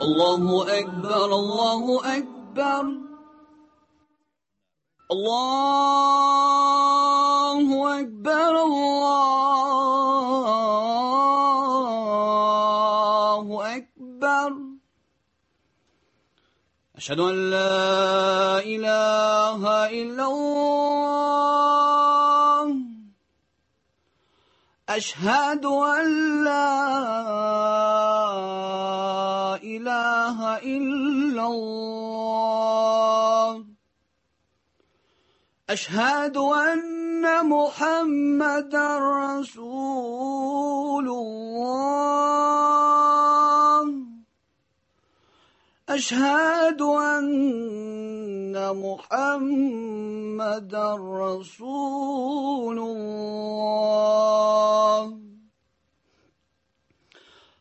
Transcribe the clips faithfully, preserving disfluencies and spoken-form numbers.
Allahu Ekber, Allahu Ekber. Allahu Ekber, Allahu Ekber. Eşhedü en la ilahe illallah. Eşhedü en la ilahe illallah. Eşhedü enne Muhammeden Resulullah. Eşhedü enne Muhammeden Resulullah.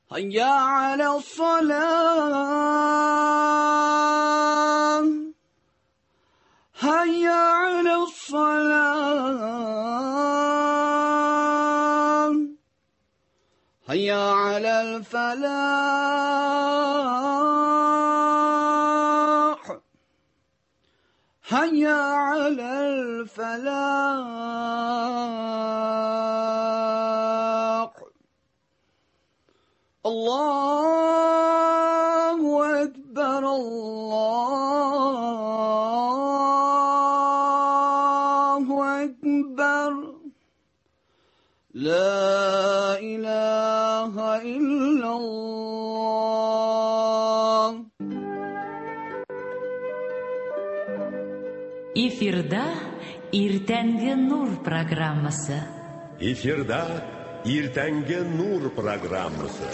Hayya alas-salah. Hayya alas-salah. Hayya alal-falah. Hayya alal-falah. Allahu Ekber, Allahu Ekber. La ilahe illallah. Эфирда Иртәнге Нур программасы. Эфирда Иртәнге Нур программасы.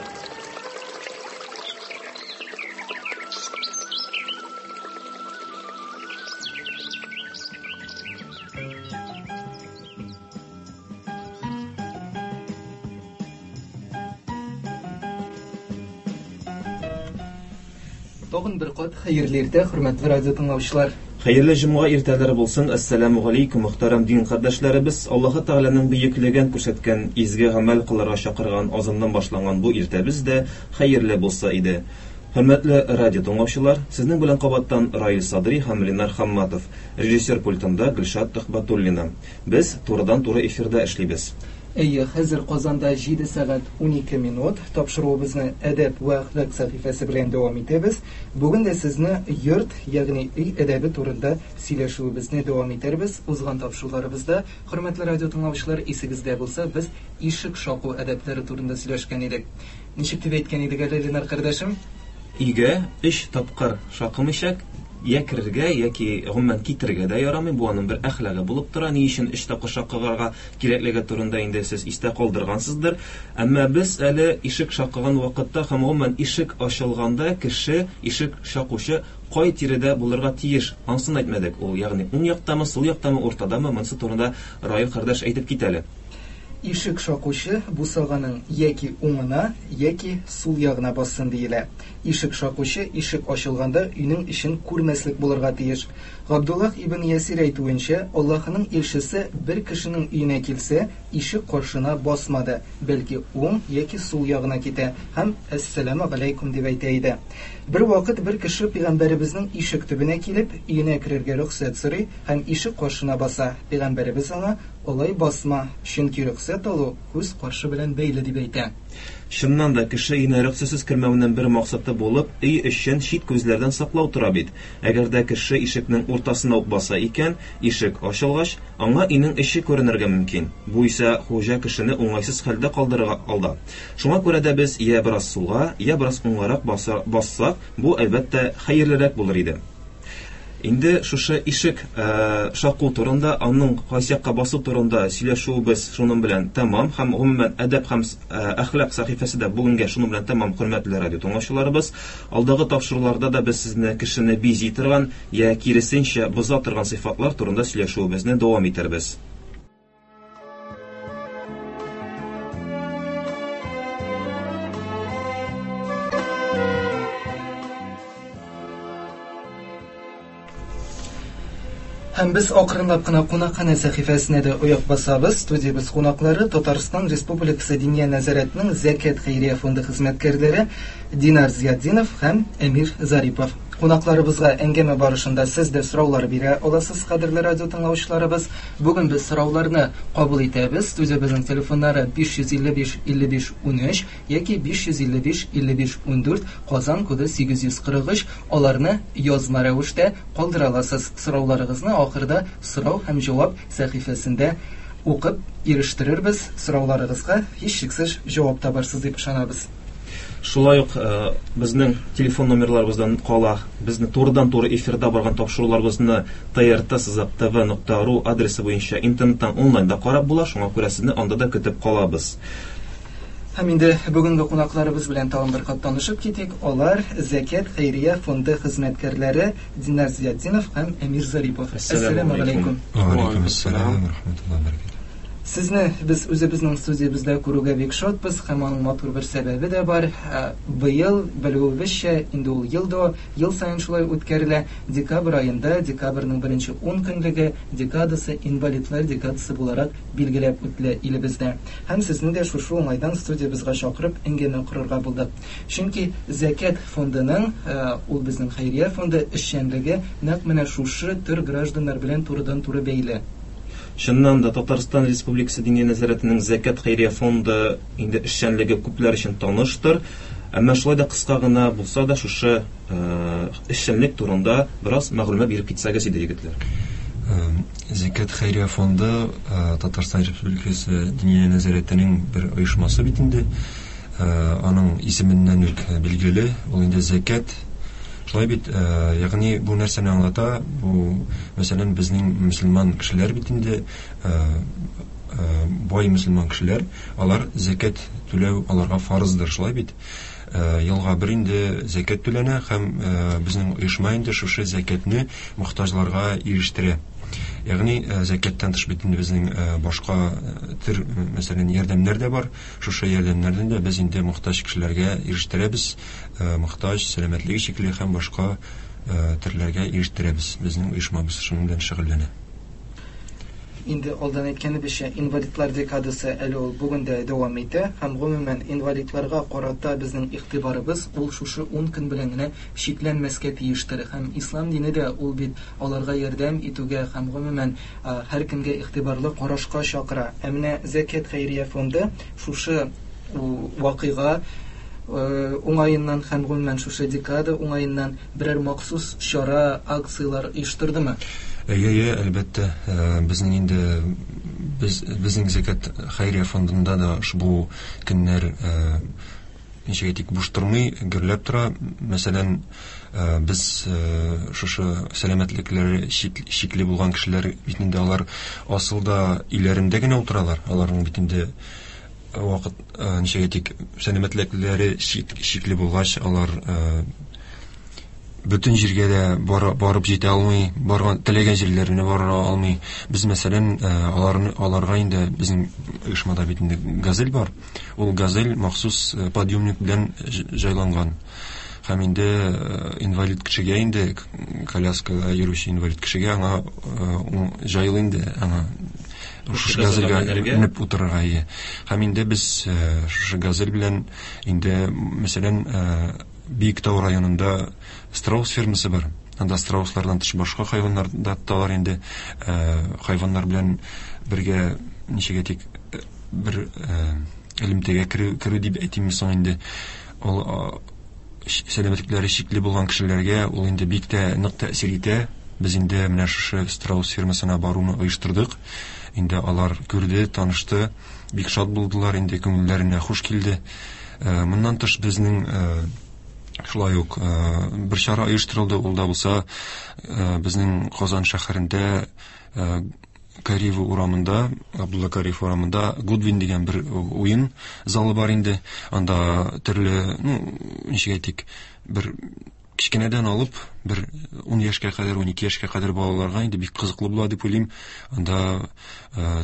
Тагын бер кат хәерле иртә, хөрмәтле радио тыңлаучылар. Хәерле җомга иртәләре булсын. Ассаламу алейкум, мөхтәрәм дин кардәшләребез. Аллаһы Тәгаләнең бөеклеген күрсәткән, изге гамәл кылырга чакырган азаннан башланган бу иртәбез дә хәерле булса иде. Хөрмәтле радио тыңлаучылар, сезнең белән кабаттан Раил Садри һәм Ленар Хамматов, режиссер пультында Гөлшат Төхбәтуллина. Без турыдан-туры эфирда эшлибез. Әйе, хәзер Казанда җиде сәгать унике минут. Тапшыруыбызны әдәп вә әхлак сәхифәсе белән дәвам итәбез. Бүген дә сезне йорт, ягъни өй әдәбе турында сөйләшүебезне дәвам итәрбез. Узган тапшыруларыбызда, хөрмәтле радио тыңлаучылар, исегездә булса, без ишек шаку әдәпләре турында сөйләшкән идек. Ничек дип әйткән идек әле, Ленар кардәшем? Өйгә өч тапкыр шакымыйча я керергә яки гомумән китергә дә ярамый. Бу аның бер әхлагы булып тора. Ни өчен өч тапкыр шакыгарга кирәклеге турында инде сез истә калдыргансыздыр. Әмма без әле ишек шакыган вакытта һәм гомумән ишек ачылганда кеше, ишек шакучы кай тирәдә булырга тиеш, ансын әйтмәдек. Ул ягъни уң яктамы, сул яктамы, уртадамы, монысы турында Раил кардәш әйтеп китә әле. Ишек шакучы бусаганың яки уңына, яки сул ягына бассын диелә. Ишек шакучы ишек ачылганда өйнең эчен күрмәслек булырга тиеш. Габдуллах ибн Ясир әйтүенчә, Аллаһының илчесе бер кешенең өенә килсә, ишек каршына басмады, бәлки уң яки сул ягына китә һәм әссәламу алейкум дип әйтә иде. Бер вакыт бер кеше пәйгамбәребезнең ишек төбенә килеп, өенә керергә рөхсәт сорый һәм ишек каршына баса. Пәйгамбәребез аңа: "Алай басма, чөнки рөхсәт алу күз каршы белән бәйле" дип әйтә. Чыннан да кеше өенә рөхсәтсез кермәүнең бер максаты булып, өй эчен чит күзләрдән саклау тора бит. Әгәр дә кеше ишекнең уртасына ук баса икән, ишек ачылгач, аңа өйнең эче күренергә мөмкин. Бу исә хуҗа кешене уңайсыз хәлдә калдырырга алда. Шуңа күрә дә без я бераз сулга, я бераз уңгарак бассак, бу әлбәттә хәерлерәк булыр иде. Инде шушы ишек э, шаку турында, аның кайсы якка басу турында сөйләшүебез шуның белән тәмам һәм гомумән әдәп һәм әхлак сәхифәсе дә бүгенгә шуның белән тәмам, хөрмәтле радио тыңлаучыларыбыз. Алдагы тапшыруларда да без сезне кешене бизи торган я киресенчә боза торган сыйфатлар турында сөйләшүебезне дәвам итәрбез. Һәм без акрынлап кына кунакханә сәхифәсенә дә аяк басабыз. Студиябез кунаклары Татарстан Республикасы Диния нәзарәтенең Зәкят хәйрия фонды хезмәткәрләре Динар Зиятдинов һәм Әмир Зарипов. Кунакларыбызга әңгәмә барышында сез дә сораулар бирә аласыз, кадерле радио тыңлаучыларыбыз. Бүген без сорауларны кабул итәбез. Студиябезнең телефоннары биш йөз илле биш илле биш унөч яки биш йөз илле биш илле биш ундүрт, Казан коды сигез йөз кырык өч. Аларны язма рәвештә калдыра аласыз. Сорауларыгызны ахырда сорау һәм җавап сәхифәсендә укып ирештерербез. Сорауларыгызга һичшиксез җавап табарсыз дип ышанабыз. Шулай ук, э, безнең телефон номерларыбыздан кала безне турыдан-туры эфирда барган тапшыруларыбызны Т Р Т сызык Т В нокта ру адресы буенча интернеттан онлайнда карап була, шуңа күрә сезне анда да көтеп калабыз. Һәм инде бүгенге кунакларыбыз белән тагын бер кат танышып китик. Алар Зәкят хәйрия фонды хезмәткәрләре Динар Зиятдинов һәм Әмир Зарипов. Әссәламү Әссәламү алейкум. алейкум. Ва алейкум ассалам ва рахматуллаһи ва баракатуһ. Сезне без үзебезнең студиябездә күрүгә бик шатбыз һәм аның матур бер сәбәбе дә бар. Ә, быел, белүебезчә, инде ул ел да, ел саен шулай үткәрелә. Декабрь аенда, декабрьнең беренче ун көнлеге декадасы инвалидлар декадасы буларак билгеләп үтелә илебездә. Һәм сезне дә шушы уңайдан студиябезгә чакырып әңгәмә корырга булдык. Чөнки Зәкят фондының, ә, ул безнең хәйрия фонды эшчәнлеге нәкъ менә шушы төр гражданнар белән турыдан-туры бәйле. Чыннан да Татарстан Республикасы Диния нәзарәтенең Зәкят хәйрия фонды инде эшчәнлеге күпләр өчен таныштыр. Әмма шулай да кыска гына булса да шушы, э, эшчәнлек турында бераз мәгълүмат биреп китсәгез иде, егетләр. Э, Зәкят хәйрия фонды, э, Татарстан Республикасы Диния нәзарәтенең бер оешмасы бит инде. Э, аның исеменнән үк билгеле, ул инде зәкят. Шулай бит, э, ягъни бу нәрсәне аңлата? Бу, мәсәлән, безнең мөселман кешеләр бит инде, э, э, бай мөселман кешеләр, алар зәкят түләү аларга фарыздыр, шулай бит. Э, елга бер инде зәкят түләнә һәм, э, безнең оешма инде шушы зәкятне мохтаҗларга ирештерә. Ягъни, э, зәкяттән тыш бит инде безнең, э, башка, э, төр, мәсәлән, ярдәмнәр дә бар. Шушы ярдәмнәрдән дә без инде мохтаҗ кешеләргә ирештерәбез, э, мохтаҗ, сәламәтлеге чикле һәм башка, э, төрләргә ирештерәбез. Безнең оешмабыз шуның белән шөгыльләнә. Инде алдан әйткәнебезчә, инвалидлар декадасы әле ул бүген дә дәвам итә һәм гомумән инвалидларга карата безнең игътибарыбыз ул шушы ун көн белән генә чикләнмәскә тиештер. Һәм ислам дине дә ул бит аларга ярдәм итүгә һәм гомумән, а, һәркемгә игътибарлы карашка чакыра. Ә менә Зәкят хәйрия фонды шушы вакыйга, э, уңаеннан һәм гомумән шушы декада уңаеннан берәр махсус чара, акцияләр оештырдымы? Әйе, әйе, әлбәттә. Э, безнең инде без, безнең Зәкят хәйрия фондында да ошбу көннәр, э, ничек әйтик, буш тормый, гөрләп тора. Мәсәлән, э, без, э, шушы сәламәтлекләре чик-, чикле булган кешеләр бит инде алар асылда өйләрендә генә утыралар. Аларның бит инде вакыт, э, ничек әйтик, сәламәтлекләре чик-, чикле булгач, алар, э, бөтен җиргә дә бара-, барып җитә алмый, барган теләгән җирләренә бара алмый. Без, мәсәлән, э, аларны, аларга инде безнең оешмада бит инде газель бар. Ул газель махсус, э, подъемник белән ж-, җайланган. Һәм инде, э, инвалид кешегә инде, к-, коляскада йөрүче инвалид кешегә аңа, э, ул җайлы инде, аңа шушы Газельгә газельгә менәргә. менеп утырырга, ие. Һәм инде без, э, шушы газель белән инде, мәсәлән, э, Биектау районында страус фермасы бар. Анда страуслардан тыш башка хайваннар да тоталар инде. Э, хайваннар белән бергә, ничек әйтик, э, бер, э, элемтәгә керү, керү дип әйтимме соң инде. Ул, а, щ-, сәламәтлекләре чикле булган кешеләргә ул инде бик тә нык тәэсир итә. Без инде менә шушы страус фермасына баруны оештырдык. Инде алар күрде, танышты, бик шат булдылар, инде күңелләренә хуш килде. Э, моннан тыш безнең, э, шулай ук, э, бер чара оештырылды. Ул да булса, э, безнең Казан шәһәрендә, э, Кариева урамында, Абдулла Кариев урамында Гудвин дигән бер уен залы бар инде. Анда төрле, ну, ничек әйтик, бер Кечкенәдән алып бер ун яшькә кадәр, ун ике яшькә кадәр балаларга инде бик кызыклы була дип уйлыйм. Анда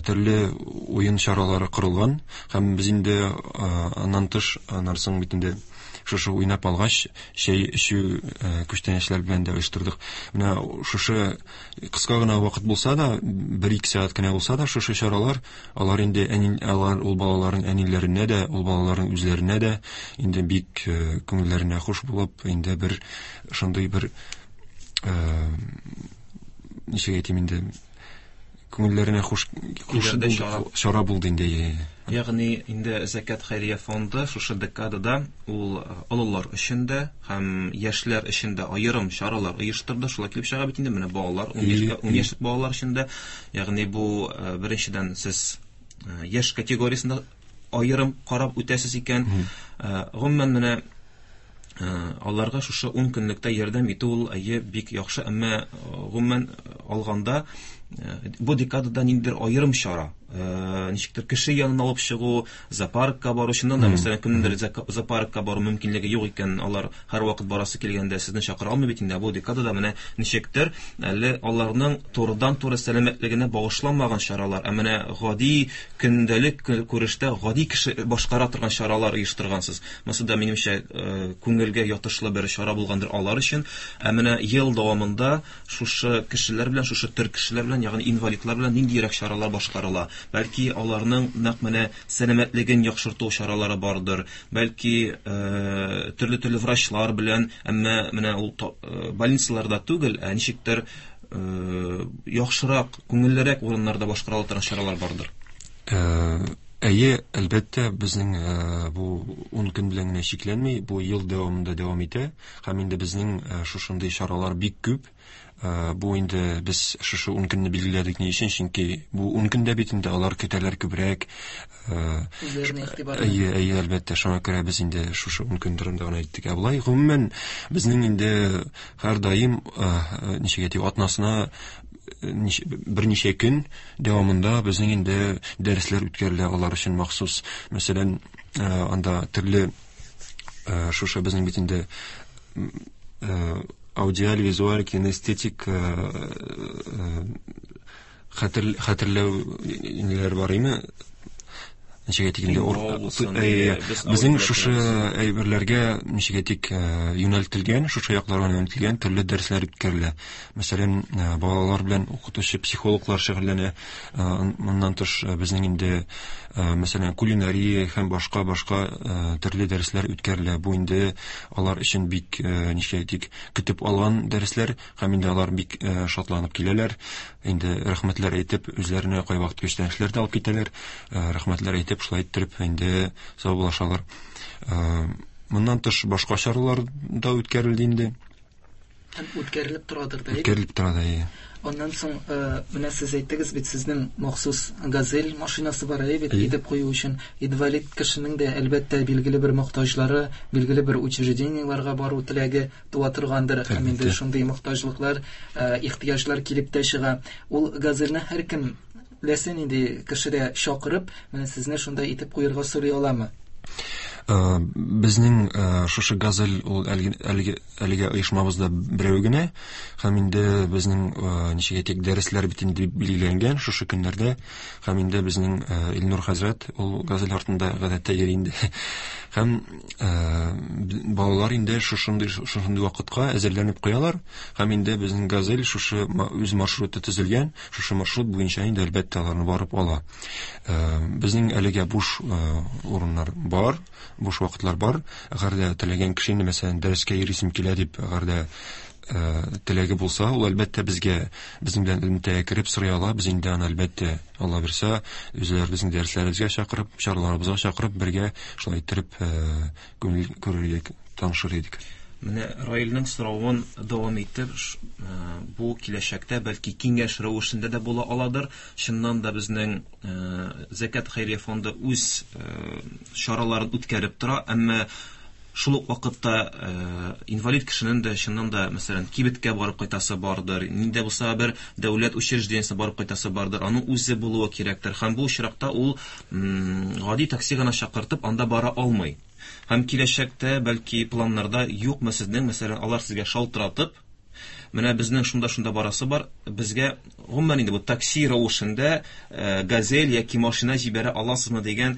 төрле уен чаралары корылган һәм без инде аннан тыш аннан соң бит инде шушы уйнап алгач, чәй эчү күчтәнәчләр белән дә оештырдык. Менә шушы кыска гына вакыт булса да, бер-ике сәгать кенә булса да, шушы чаралар, алар инде әни, алар ул балаларның әниләренә дә, ул балаларның үзләренә дә инде бик күңелләренә хуш булып, инде бер шундый бер ничек әйтим инде, күңелләренә хуш хуш чара булды инде. Ягъни инде Зәкят хәйрия фонды шушы декадада ул олылар өчен дә һәм яшьләр өчен дә аерым чаралар оештырды. Шулай килеп чыга бит инде менә балалар, ун яшьлек балалар өчен дә. Ягъни бу беренчедән сез яшь категориясендә аерым карап үтәсез икән. Гомумән менә аларга шушы ун көнлектә ярдәм итү ул әйе бик яхшы, әмма гомумән алганда бу декадада ниндидер аерым чара, ничектер кеше янына алып чыгу, зоопаркка бару, чыннан да, мәсәлән, кемнеңдер зоопаркка бару мөмкинлеге юк икән, алар һәрвакыт барасы килгәндә сезне чакыра алмый бит инде. Бу декадада менә ничектер әле аларның турыдан-туры сәламәтлегенә багышланмаган чаралар, ә менә гади көндәлек күрештә гади кеше башкара торган чаралар оештыргансыз. Монысы да минемчә күңелгә ятышлы бер чара булгандыр алар өчен. Ә менә ел дәвамында шушы кешеләр белән, шушы төр кешеләр белән, ягъни инвалидлар белән ниндирәк чаралар башкарыла? Бәлки аларның нәкъ менә сәламәтлеген яхшырту чаралары бардыр, бәлки төрле-төрле врачлар белән, әмма менә ул больницаларда түгел, ә ничектер яхшырак, күңеллерәк урыннарда башкарыла торган чаралар бардыр. Әйе, әлбәттә, безнең бу ун көн белән генә чикләнми, бу ел дәвамында дәвам итә. Һәм инде безнең шушындый чаралар бик күп. Бу инде без шушы ун көнне билгеләдек ни өчен? Чөнки бу ун көндә бит инде алар көтәләр күбрәк. Үзләренә игътибар. Әйе, әйе, әлбәттә, шуңа күрә без инде шушы ун көн турында гына әйттек. Ә болай гомумән безнең инде һәрдаим ничек әйтик, атнасына берничә көн дәвамында безнең инде дәресләр үткәрелә алар өчен махсус. Мәсәлән, анда төрле шушы безнең бит инде аудиаль, визуаль, кинестетик хәтер хәтерләү ниләр бар име? Ничек әйтик инде, безнең шушы әйберләргә ничек әйтик юнәлтелгән, шушы якларга юнәлтелгән төрле дәресләр үткәрелә. Мәсәлән, балалар белән укытучы психологлар шөгыльләнә. Моннан тыш безнең инде мәсәлән кулинария һәм башка-башка төрле дәресләр үткәрелә. Бу инде алар өчен бик ничек әйтик көтеп алган дәресләр һәм инде алар бик шатланып киләләр. Инде рәхмәтләр әйтеп, үзләренә кайвакыт күчтәнәчләр дә алып китәләр. Рәхмәтләр әйтеп, шулай иттереп инде саубуллашалар. Моннан тыш башка чаралар да үткәрелде инде. Һәм үткәрелеп торадыр да. Үткәрелеп тора да, әйе. Аннан соң менә сез әйттегез бит, сезнең махсус Газель машинасы бар әйе бит, итеп кую өчен. Инвалид кешенең дә әлбәттә билгеле бер мохтаҗлары, билгеле бер учреждениеларга бару теләге туа торгандыр. Һәм инде шундый мохтаҗлыклар, ихтыяҗлар килеп тә чыга. Ул Газельне һәркем ләсен инде кешедә чакырып, менә сезне шунда итеп куярга сорый аламы? Безнең шушы Газель ул әлеге әлеге оешмабызда берәү генә, һәм инде безнең ничек әйтик дәресләр бит инде билгеләнгән шушы көннәрдә, һәм инде безнең Илнур хәзрәт ул Газель артында гадәттә йөри инде. Һәм балалар инде шушындый шушындый вакытка әзерләнеп куялар, һәм инде безнең Газель шушы үз маршруты төзелгән, шушы маршрут буенча инде әлбәттә аларны барып ала. Безнең әлегә буш урыннар бар, буш вакытлар бар. Әгәр дә теләгән кеше инде, мәсәлән, дәрескә йөрисем килә дип, әгәр дә теләге булса, ул әлбәттә безгә, безнең белән элемтәгә кереп сорый ала. Без инде аны әлбәттә, Алла бирсә, үзләребезнең дәресләребезгә чакырып, чараларыбызга чакырып, бергә шулай иттереп күңел күрергә танышыр идек. Менә Раилнең соравын дәвам итеп, бу киләчәктә бәлки киңәш рәвешендә дә була аладыр. Чыннан да безнең Зәкят хәйрия фонды үз чараларын үткәреп тора, әмма шул ук вакытта инвалид кешенең дә чыннан да, мәсәлән, кибеткә барып кайтасы бардыр, нинди булса бер дәүләт учреждениесенә барып кайтасы бардыр, аның үзе булуы кирәктер. Һәм бу очракта ул гади такси гына чакыртып анда бара алмый. Һәм киләчәктә бәлки планнарда юкмы сезнең, мәсәлән, алар сезгә шалтыратып, менә безнең шунда-шунда барасы бар, безгә гомумән инде бу такси рәвешендә газель яки машина җибәрә аласызмы дигән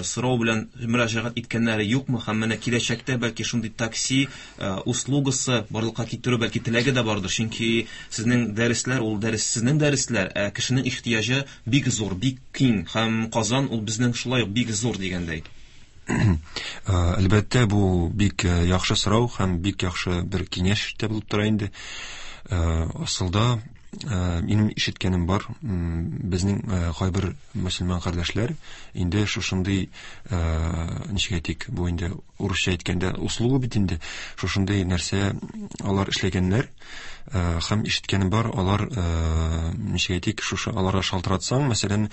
сорау белән мөрәҗәгать иткәннәре юкмы? Һәм менә киләчәктә бәлки шундый такси услугасы барлыкка китерү бәлки теләге дә бардыр, чөнки сезнең дәресләр ул дәрес, сезнең дәресләр, ә кешенең ихтыяҗы бик зур, бик киң, һәм Казан ул безнең шулай ук бик зур дигәндәй. Әлбәттә, бу бик яхшы сорау һәм бик яхшы бер киңәш тә булып тора инде. Асылда минем ишеткәнем бар, безнең кайбер мөселман кардәшләр инде шушындый, ничек әйтик, бу инде урысча әйткәндә услуга бит инде, шушындый нәрсә алар эшләгәннәр. Һәм ишеткәнем бар, алар, ничек әйтик, шушы аларга шалтыратсаң, мәсәлән,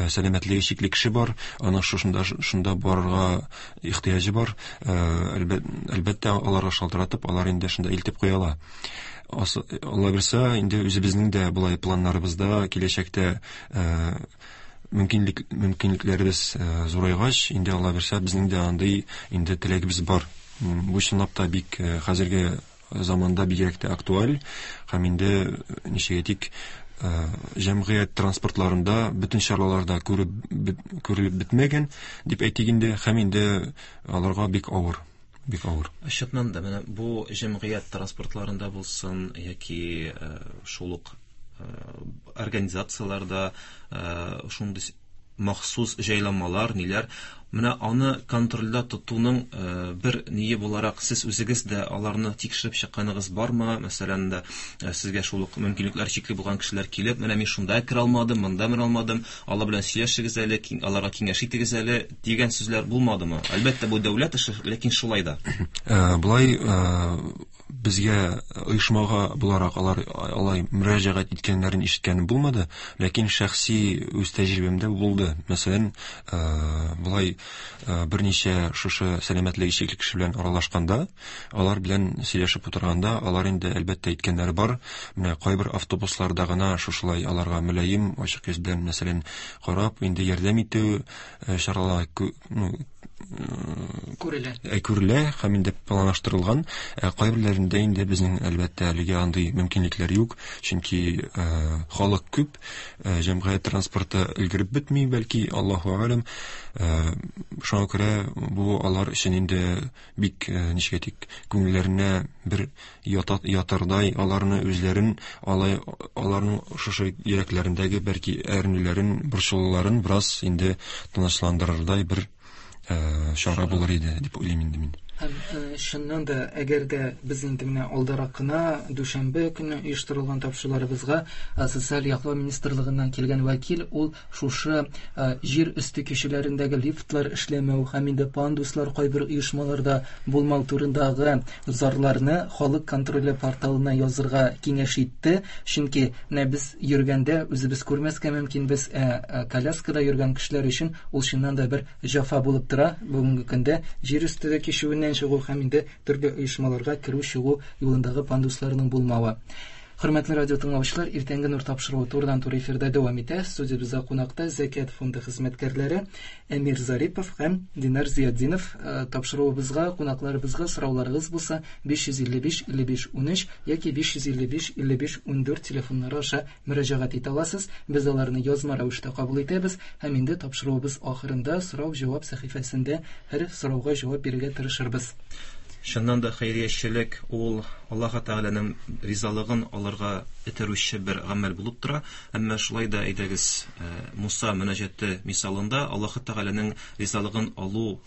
сәламәтлеге чикле кеше бар, аның шушында шунда барырга ихтыяҗы бар, әлбәттә, аларга шалтыратып, алар инде шунда илтеп куя ала. Алла бирсә, инде үзебезнең дә болай планнарыбызда киләчәктә мөмкинлек, мөмкинлекләребез зурайгач, инде Алла бирсә, безнең дә андый инде теләгебез бар. Бу чынлап та бик хәзерге заманда бигрәк тә актуаль, һәм инде ничек әйтик, җәмгыять транспортларында бөтен чараларда күреп күрелеп бетмәгән дип әйтик инде, һәм инде аларга бик авыр. Бик авыр. Чыннан да менә бу җәмгыять транспортларында булсын яки шул ук организацияләрдә шундый махсус җайланмалар, ниләр, менә аны контрольдә тотуның бер ние буларак сез үзегез дә аларны тикшереп чыкканыгыз бармы? Мәсәлән дә сезгә шул ук мөмкинлекләр чикле булган кешеләр килеп, менә мин шунда керә алмадым, монда менә алмадым, алар белән сөйләшегез әле, аларга киңәш итегез әле дигән сүзләр булмадымы? Әлбәттә, бу дәүләт эше, ләкин шулай да. Болай безгә оешмага буларак алар алай мөрәҗәгать иткәннәрен ишеткәнем булмады, ләкин шәхси үз тәҗрибәмдә булды. Мәсәлән, болай берничә шушы сәламәтлеге чикле кеше белән аралашканда, алар белән сөйләшеп утырганда, алар инде әлбәттә әйткәннәре бар. Менә кайбер автобусларда гына шушылай аларга мөлаем, ачык йөз белән, мәсәлән, карап, инде ярдәм итү чаралары күрелә. Күрелә һәм инде планлаштырылган. Кайберләрендә инде безнең әлбәттә әлегә андый мөмкинлекләр юк, чөнки халык күп, җәмгыять транспорты өлгереп бетми, бәлки, Аллаһу алем. Шуңа күрә бу алар өчен инде бик, ничек әйтик, күңелләренә бер ятардай, аларны үзләрен, алай аларның шушы йөрәкләрендәге бәлки әрнүләрен, борчылуларын бераз инде тынычландырырдай бер чара булыр иде дип уйлыйм инде мин. Һәм чыннан да, әгәр дә без инде менә алдарак кына дүшәмбе көне оештырылган тапшыруларыбызга социаль яклау министрлыгыннан килгән вәкил ул шушы җир өсте кешеләрендәге лифтлар эшләмәү һәм инде пандуслар кайбер оешмаларда булмау турындагы зарларны халык контроле порталына язырга киңәш итте. Чөнки менә без йөргәндә үзебез күрмәскә мөмкин, без коляскада йөргән кешеләр өчен ул чыннан да бер җәфа булып тора. Бүгенге көндә җир өсте кичүеннән чыгу һәм инде төрле оешмаларга керү чыгу юлындагы пандусларның булмавы. Хөрмәтле радио тыңлаучылар, иртәнге нур тапшыруы турыдан-туры эфирда дәвам итә. Студиябездә кунакта Зәкят фонды хезмәткәрләре Әмир Зарипов һәм Динар Зиятдинов. Тапшыруыбызга, кунакларыбызга сорауларыгыз булса биш йөз илле биш илле биш унөч яки биш йөз илле биш илле биш ундүрт телефоннары аша мөрәҗәгать итә аласыз. Без аларны язма рәвештә кабул итәбез һәм инде тапшыруыбыз ахырында сорау-җавап сәхифәсендә һәр сорауга җавап бирергә тырышырбыз. Чыннан да хәйриячелек ул Аллаһ Тәгаләнең ризалыгын алырга этәрүче бер гамәл булып тора. Әмма шулай да әйдәгез, Муса мөнәҗәте мисалында Аллаһ Тәгаләнең ризалыгын алу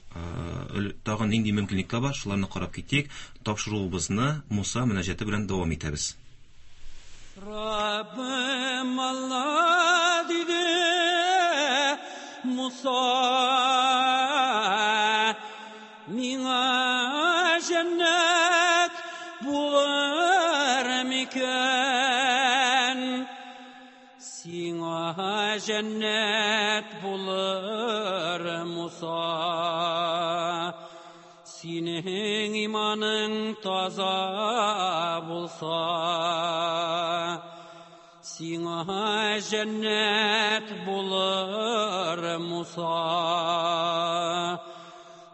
тагын нинди мөмкинлекләр бар, шуларны карап китик. Тапшыруыбызны Муса мөнәҗәте белән дәвам итәбез. Раббым Алла диде Муса, миңа җәннәт булыр микән? Сиңа җәннәт булыр, Муса, синең иманың таза булса. Сиңа җәннәт булыр, Муса,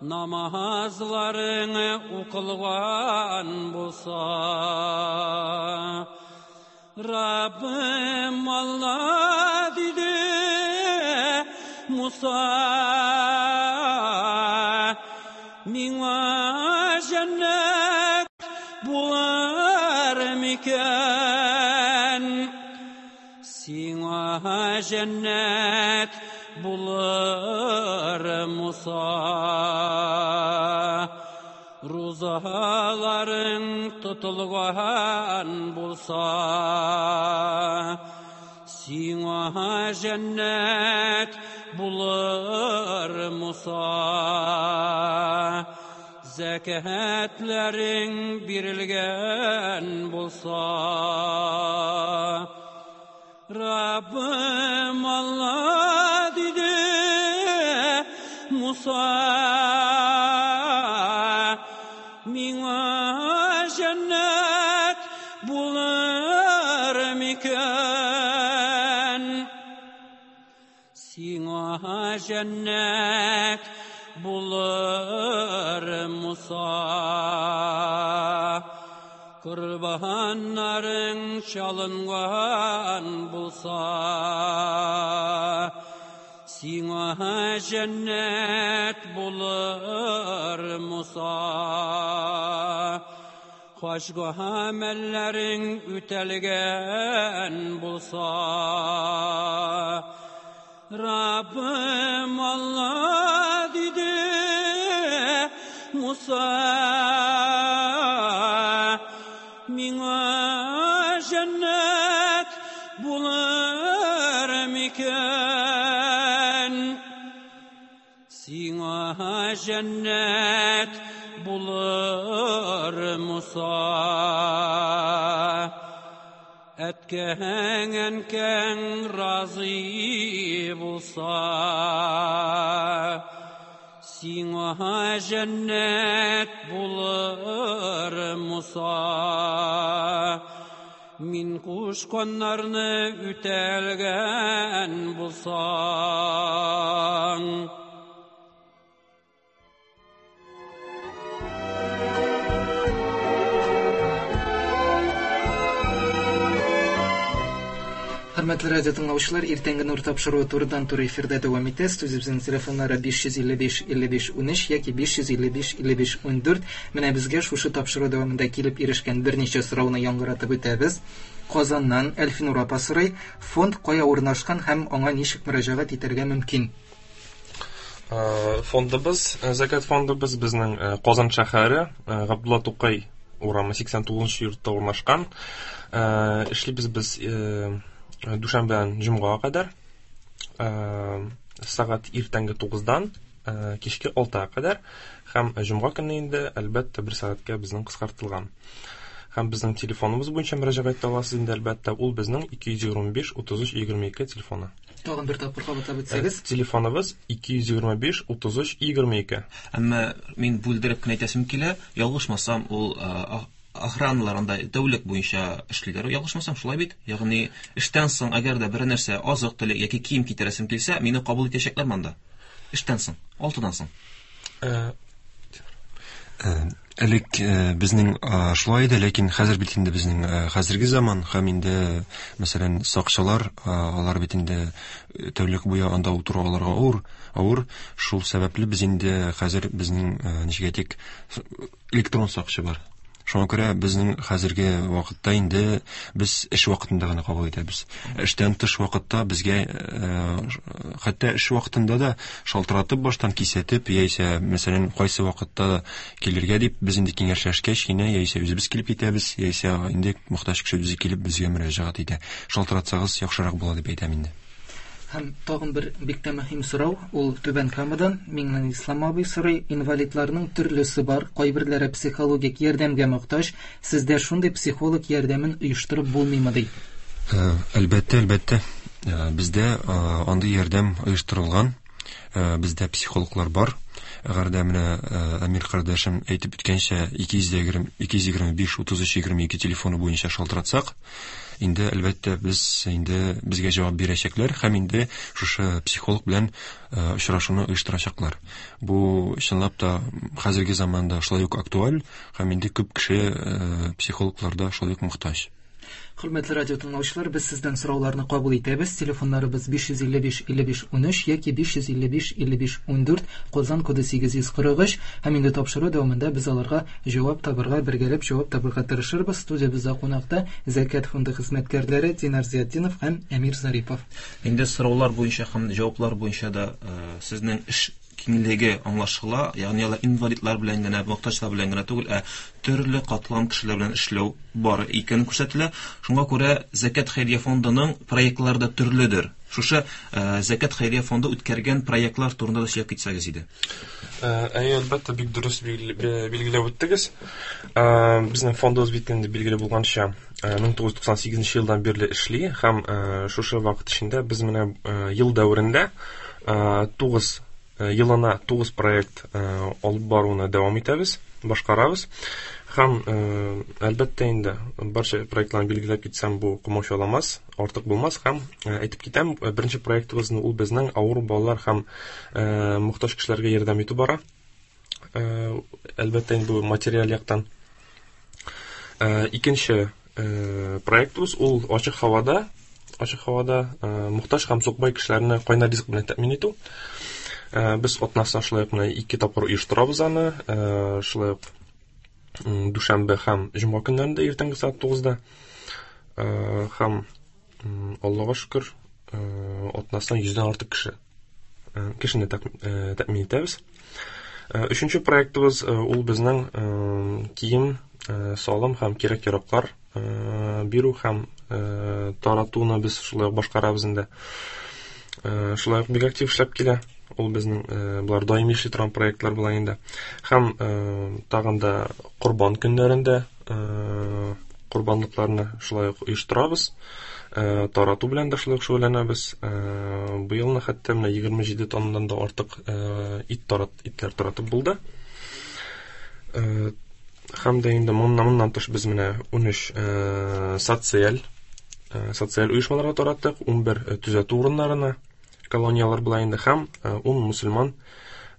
Намазларың укылган булса. Rabbim Allah dedi Musa, miňa cennet bular miken? Siňa cennet bular Musa. Ruzaların tutulgan bulsa, siňa cennet bulur Musa. Zekatlerin birilgen bulsa, Rabbim Allah dedi Musa, miňa cennet bular miken? Siňa cennet bulur Musa. Kurbanların çalıngan bulsa, siňa cennet bulur Musa. Başka amellerin ütelgen bulsa, Rabbim Allah dedi Musa, miňa cennet bular miken? Siňa cennet bulur Musa. Etken enken razı bulsa, siňa cennet bulur Musa. Min kuşkonlarını ütelgen bulsan. Хөрмәтле радио тыңлаучылар, иртәнге Нур тапшыруы турыдан-туры эфирда дәвам итә. Студиябезнең телефоннары биш йөз илле биш илле биш унөч яки биш йөз илле биш илле биш ундүрт. Менә безгә шушы тапшыру дәвамында килеп ирешкән берничә сорауны яңгыратып үтәбез. Казаннан Әлфинур апа сорый: фонд кая урнашкан һәм аңа ничек мөрәҗәгать итәргә мөмкин? Фондыбыз, Зәкят фондыбыз безнең Казан шәһәре, Габдулла Тукай урамы сиксән тугызынчы йортта урнашкан. Эшлибез без дүшәмбедән җомгага кадәр, сәгать иртәнге тугыздан кичке алтыга кадәр, һәм җомга көнне инде әлбәттә бер сәгатькә безнең кыскартылган. Һәм безнең телефоныбыз буенча мөрәҗәгать итә аласыз инде әлбәттә, ул безнең ике йөз егерме биш утыз өч егерме ике телефоны. Тагын бер тапкыр кабатлап үтсәгез. Телефоныбыз ике йөз егерме биш утыз өч егерме ике. Әмма мин бүлдереп кенә әйтәсем килә, ялгышмасам, ул охраналар анда тәүлек буенча эшлиләр. Ялгышмасам, шулай бит? Ягъни эштән соң әгәр дә бер нәрсә азык төлек яки кием китерәсем килсә, мине кабул итәчәкләрме анда? Эштән соң, алтыдан соң. Элек безнең шулай иде, ләкин хәзер бит инде безнең хәзерге заман һәм инде, мәсәлән, сакчылар, алар бит инде тәүлек буе анда утыру аларга авыр, авыр. Шул сәбәпле без инде хәзер безнең ничек әйтик, электрон сакчы бар. Шуңа күрә безнең хәзерге вакытта инде без эш вакытында гына кабул итәбез. Эштән тыш вакытта безгә, хәтта эш вакытында да шалтыратып баштан кисәтеп, яисә мәсәлән кайсы вакытта килергә дип без инде киңәшләшкәч кенә, яисә үзебез килеп китәбез, яисә инде мохтаҗ кеше үзе килеп безгә мөрәҗәгать итә. Шалтыратсагыз яхшырак була дип әйтәм инде. Һәм тагын бер бик тә мөһим сорау, ул Түбән Камадан Миңнислам абый сорый: инвалидларның төрлесе бар, кайберләре психологик ярдәмгә мохтаҗ, сездә шундый психолог ярдәмен оештырып булмыймы ди? Әлбәттә, әлбәттә. Бездә андый ярдәм оештырылган, бездә психологлар бар. Әгәр дә менә Әмир кардәшем әйтеп үткәнчә, ике йөз егерме биш утыз өч егерме ике телефоны буенча шалтыратсак, инде әлбәттә без инде безгә җавап бирәчәкләр һәм инде шушы психолог белән очрашуны оештырачаклар. Бу чынлап та хәзерге заманда шулай ук актуаль һәм инде күп кеше психологларда шулай ук мохтаҗ. Хөрмәтле радио тыңлаучылар, без сездән сорауларны кабул итәбез. Телефоннарыбыз биш йөз илле биш илле биш унөч яки биш йөз илле биш илле биш ундүрт, Казан коды сигез йөз кырык өч. Һәм инде тапшыру дәвамында без аларга җавап табырга, бергәләп җавап табырга тырышырбыз. Студиябездә кунакта Зәкят фонды хезмәткәрләре Динар Зиятдинов һәм Әмир Зарипов. Инде сораулар буенча һәм җаваплар буенча да сезнең эш киңлеге аңлашыла, ягъни алар инвалидлар белән генә, мохтаҗлар белән генә түгел, ә төрле катлам кешеләр белән эшләү бар икәнен күрсәтелә. Шуңа күрә Зәкят хәйрия фондының проектлары да төрледер. Шушы Зәкят хәйрия фонды үткәргән проектлар турында да сөйләп китсәгез иде. Әйе, әлбәттә, бик дөрес билгеләп үттегез. Безнең фондыбыз бит инде билгеле булганча мең тугыз йөз туксан сигезенче елдан бирле эшли һәм шушы вакыт эчендә без менә ел дәверендә тугыз елына тугыз проект алып баруны дәвам итәбез, башкарабыз. Һәм әлбәттә инде барча проектларны билгеләп китсәм, бу комачауламас, артык булмас. Һәм әйтеп китәм, беренче проектыбызны ул безнең авыру балалар һәм мохтаҗ кешеләргә ярдәм итү бара. Әлбәттә инде бу материаль яктан. Икенче проектыбыз ул ачык һавада, ачык һавада мохтаҗ һәм сукбай кешеләрне кайнар ризык белән тәэмин итү. Без атнасына шулай ук менә ике тапкыр оештырабыз аны, шулай ук дүшәмбе һәм җомга көннәрендә иртәнге сәгать тугызда. Һәм Аллага шөкер, атнасына йөздән артык кеше кешене тәэмин итәбез. Өченче проектыбыз ул безнең кием, салым һәм кирәк-яраклар бирү һәм таратуны без шулай ук башкарабыз инде. Шулай ук бик актив эшләп килә. Ул безнең болар даими эшли торган проектлар була инде. Һәм тагын да корбан көннәрендә корбанлыкларны шулай ук оештырабыз. Тарату белән дә шулай ук шөгыльләнәбез. Быелны хәтта менә егерме җиде тоннадан да артык ит тарат, итләр таратып булды. Һәм дә инде моннан моннан тыш без менә унөч социаль социаль оешмаларга тараттык, унбер төзәтү урыннарына, колониялар була инде, һәм ун мусульман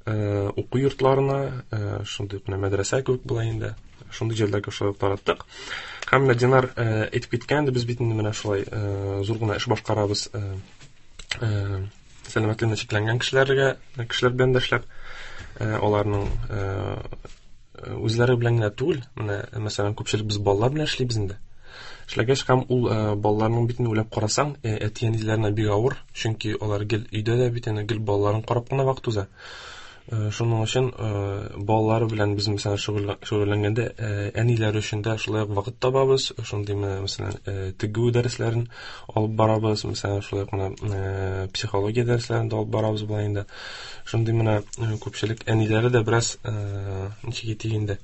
уку йортларына, шундый менә мәдрәсә кебек була инде, шундый җирләргә шулай ук тараттык. Һәм менә Динар әйтеп киткән, без бит инде менә шулай зур гына эш башкарабыз, сәламәтлегенә чикләнгән кешеләргә, кешеләр белән дә эшләп, аларның үзләре белән генә түгел, менә мәсәлән, күпчелек без балалар белән эшлибез инде. Эшләгәч һәм ул балаларның битен уйлап карасаң, әти-әниләренә бик авыр, чөнки алар гел өйдә дә бит инде гел балаларын карап кына вакыт уза. Шуның өчен балалары белән без мәсәлән шөгыльләнгәндә әниләр өчен дә шулай ук вакыт табабыз. Шундый менә мәсәлән тегү дәресләрен алып барабыз, мәсәлән шулай ук менә психология дәресләрен дә алып барабыз була инде. Шундый менә күпчелек әниләре дә бераз ничек әйтик инде,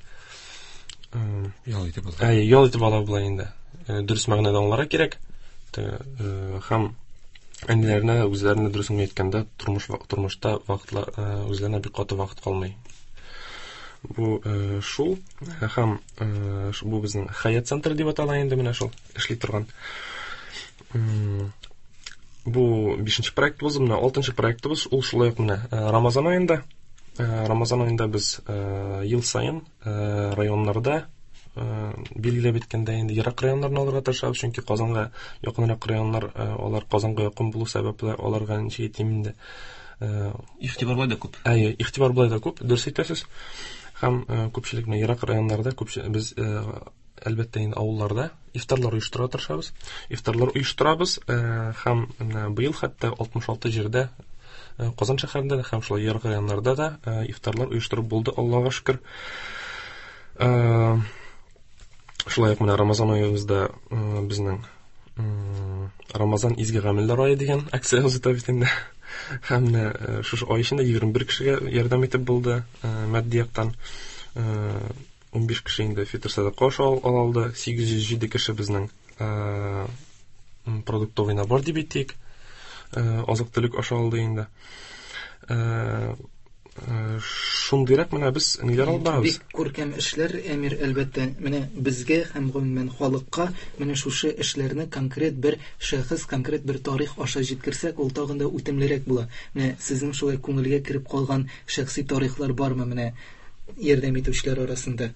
ял итеп ала. Әйе, ял итеп ала була инде. Дөрес мәгънәдә аңларга кирәк. Һәм әниләренә үзләренә дөресен әйткәндә тормыш тормышта вакытлар үзләренә бик каты вакыт калмый. Бу шул һәм бу безнең Хәят центры дип атала инде, менә шул эшли торган. Бу бишенче проектыбыз, менә алтынчы проектыбыз ул шулай ук менә Рамазан аенда. Рамазан аенда без ел саен районнарда билгеләп үткәндә инде ерак районнарны алырга тырышабыз, чөнки Казанга якынрак районнар, алар Казанга якын булу сәбәпле аларга ничек әйтим инде, игътибар болай да күп. Әйе, игътибар болай да күп, дөрес әйтәсез. Һәм күпчелек менә ерак районнарда күпчелек без әлбәттә инде авылларда ифтарлар оештыра тырышабыз. Ифтарлар оештырабыз һәм менә быел хәтта алтмыш алты җирдә, Казан шәһәрендә дә һәм шулай ерак районнарда да ифтарлар оештырып булды, Аллага шөкер. Шулай ук менә Рамазан аебызда безнең Рамазан изге гамәлләр ае дигән акциябез үтә бит инде. Һәм менә шушы ай эчендә егерме бер кешегә ярдәм итеп булды матди яктан. Унбиш кеше инде фитр сәдака аша ала алды, сигез йөз җиде кеше безнең продуктовый набор дип әйтик, азык-төлек аша алды инде. Шундыйрак менә без ниләр алып барабыз. Бик күркәм эшләр, Әмир, әлбәттә. Менә безгә һәм гомумән халыкка менә шушы эшләрне конкрет бер шәхес, конкрет бер тарих аша җиткерсәк, ул тагын да үтемлерәк була. Менә сезнең шулай күңелгә кереп калган шәхси тарихлар бармы менә ярдәм итүчеләр арасында?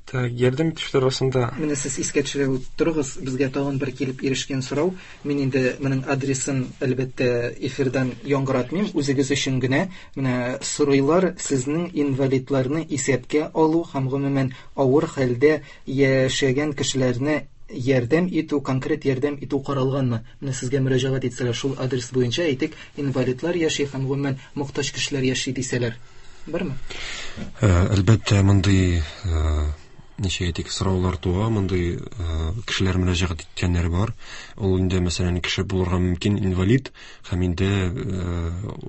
Так, ярдәм итүчеләр арасында. Менә сез искә төшерә торыгыз, безгә тагын бер килеп ирешкән сорау. Мин инде моның адресын әлбәттә эфирдан яңгыратмыйм, үзегез өчен генә. Менә сорыйлар, сезнең инвалидларны исәпкә алу һәм гомумән авыр хәлдә яшәгән кешеләрне ярдәм итү, конкрет ярдәм итү каралганмы? Менә сезгә мөрәҗәгать итсәләр, шул адрес буенча, әйтик, инвалидлар яши һәм гомумән мохтаҗ кешеләр яши дисәләр. Бармы? Әлбәттә, мондый ничек әйтик, сораулар туа, мондый кешеләр мөрәҗәгать иткәннәр бар. Ул инде, мәсәлән, кеше булырга мөмкин инвалид һәм инде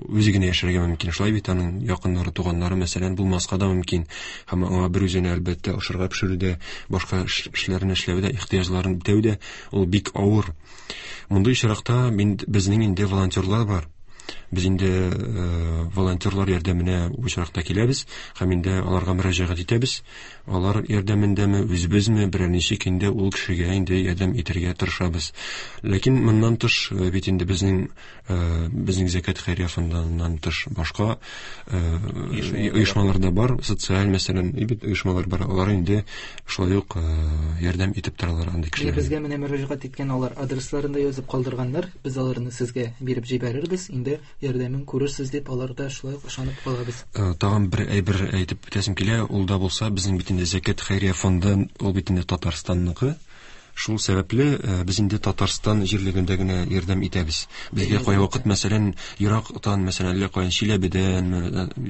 үзе генә яшәргә мөмкин. Шулай бит, аның якыннары, туганнары, мәсәлән, булмаска да мөмкин. Һәм аңа бер үзенә әлбәттә ашарга пешерүдә, башка эшләрне эшләүдә, ихтыяҗларын үтәүдә ул бик авыр. Мондый очракта безнең инде волонтерлар бар. Без инде волонтерлар ярдәменә бу очракта киләбез һәм инде аларга мөрәҗәгать итәбез. Алар ярдәмендәме, үзебезме, берәр ничек инде ул кешегә инде ярдәм итәргә тырышабыз. Ләкин моннан тыш бит инде безнең безнең Зәкят хәйрия фондыннан тыш башка оешмалар да бар, социаль, мәсәлән, бит оешмалар бар. Алар инде шулай ук ярдәм итеп торалар андый кешеләргә. Безгә менә мөрәҗәгать иткән алар адресларын да язып калдырганнар. Без аларны сезгә биреп җибәрербез. Инде ярдәмен күрерсез дип алар да шулай ук ышанып калабыз. Тагын бер әйбер әйтеп үтәсем килә, ул да булса безнең бит инде Зәкят хәйрия фонды, ул бит инде Татарстанныкы. Шул сәбәпле без инде Татарстан җирлегендә генә ярдәм итәбез. Безгә кайвакыт, мәсәлән, Ирактан, мәсәлән, әллә каян Чиләбедән,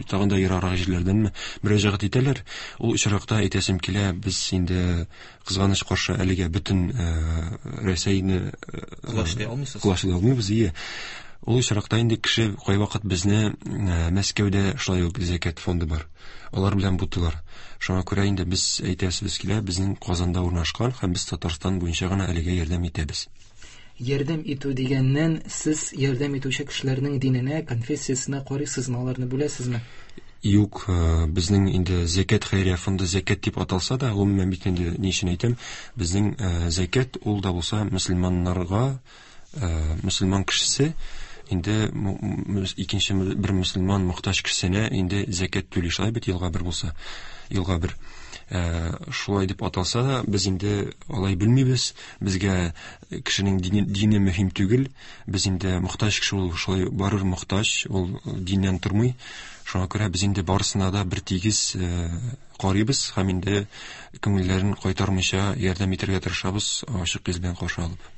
тагын да ераграк җирләрдәнме мөрәҗәгать итәләр. Ул очракта әйтәсем килә, без инде кызганыч каршы әлегә бөтен Рәсәйне колачлый алмыйсыз. Колачлый алмыйбыз, ие. Ул очракта инде кеше кайвакыт безне Мәскәүдә шулай ук Зәкят фонды бар. Алар белән бутылар. Шуңа күрә инде без әйтәсебез килә, безнең Казанда урнашкан һәм без Татарстан буенча гына әлегә ярдәм итәбез. Ярдәм итү дигәннән, сез ярдәм итүче кешеләрнең диненә, конфессиясенә карыйсызмы, аларны бүләсезме? Юк, безнең инде Зәкят хәйрия фонды Зәкят дип аталса да, гомумән бит инде ни өчен әйтәм, безнең зәкят ул да булса мөселманнарга, мөселман кешесе инде икенче бер мөселман мохтаҗ кешесенә инде зәкят түли, шулай бит, елга бер булса, елга бер. Шулай дип аталса да, без инде алай белмибез. Безгә кешенең дине, дине мөһим түгел. Без инде мохтаҗ кеше ул шулай барыр мохтаҗ, ул диннән тормый. Шуңа күрә без инде барысына да бер тигез карыйбыз һәм инде күңелләрен кайтармыйча ярдәм итәргә тырышабыз, ачык йөз белән каршы алып.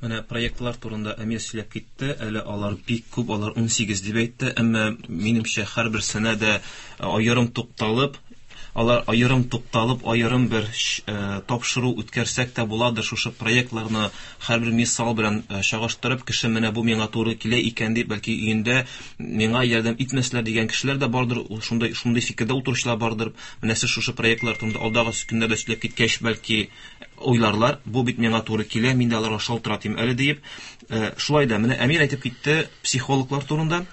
Менә проектлар турында Әмир сөйләп китте, әле алар бик күп, алар ун сигез дип әйтте, әмма минемчә һәрберсенә дә аерым тукталып, алар аерым тукталып, аерым бер тапшыру үткәрсәк тә буладыр. Шушы проектларны һәрбер мисал белән чагыштырып, кеше менә бу миңа туры килә икән дип, бәлки өендә миңа ярдәм итмәсләр дигән кешеләр дә бардыр, шундый шундый фикердә утыручылар бардыр. Менә сез шушы проектлар турында алдагы көннәрдә сөйләп киткәч, бәлки уйларлар, бу бит миңа туры килә, мин дә аларга шалтыратыйм әле диеп. Шулай да менә Әмир әйтеп китте психологлар турында.